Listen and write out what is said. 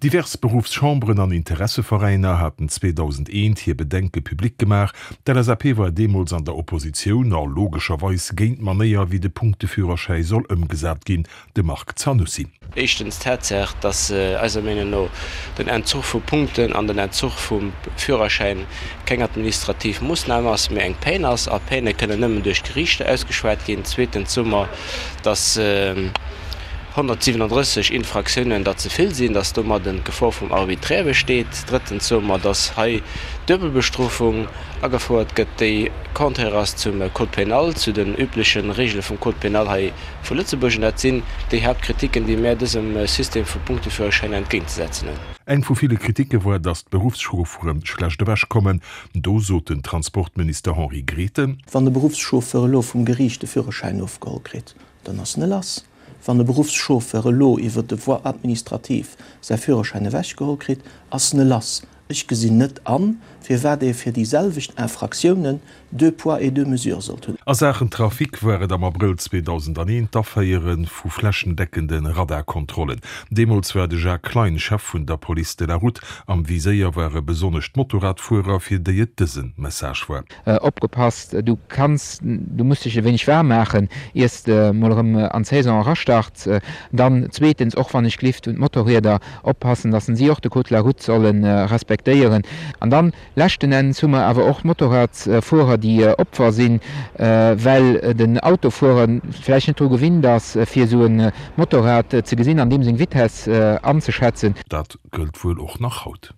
Divers Beruffschamberen an Interesseveräiner haten 2001 hir Bedenke public gemaach. D'LSAP war deemools an der Oppositioun a logescherweis géint d'Manéier, wéi de Punkteführerschäi soll ëmgesat ginn. De Marc Zanussi. Éischtens d'Tatsaach, dass eiser Meenung no den Entzuch vu Punkten an den Entzuch vum Führerschäin keng administrativ Moossnam ass, mee eng Peine ass, a Peine kënnen nëmmen duerch d'Geriichter ausgeschwat ginn. Zweetens soe mer, dass 137 Infraktiounen der ze vill sinn, dass domadden d'Gefor vum Arbitraire besteet. Drëttens soe mer, dass hei d'Duebelbestrofung agefouert gëtt, déi contraire ass zum Code pénal, zu den übleche Regele vum Code pénal hei vu Lëtzebuerg. An dat sinn déi Haaptkritiken, déi mär dësem System vu Punkteführerschäiner entgéintzesetzen hunn. Eng vu ville Kritike war, dass d'Beruffschauffere schlecht ewechkommen. Do sot den Transportminister Henri Grethen. Wann e Beruffschauffeur elo vum Geriicht de Führerschäin ofgeholl kritt, dann ass en e lass. Wann e Beruffschauffeur elo iwwer de Voie administrative säi Führerschäin ewechgeholl kritt, ass en e lass. Ech gesinn net an, firwat ee fir déi selwecht Infraktiounen deux poids et deux mesures sollt hunn. A Saachen Trafic war et am Abrëll 2001 d'Aféiere vu flächendeckende Radarkontrollen. Deemools war de Jacques Klein Chef vun der Police de la Route. Am Viséier ware besonnesch d'Motorradfuerer, fir déi et dëse Message war. Opgepasst, du kanns, du muss dech e wéineg waarm maachen, iers de mol erëm an d'Saison erastarts. Dann zweetens, och wann ech glift, un d'Motorrieder oppassen, dass si och de Code de la route solle respektéieren. An dann leschten Enns hu mer awer och d'Motorradsfuerer, déi Opfer sinn, well den Autofuerer vläicht net dru gewinnt ass, fir esou e Motorrad ze gesinn an deem seng Vitess anzeschätzen. Dat gëllt wuel och nach haut.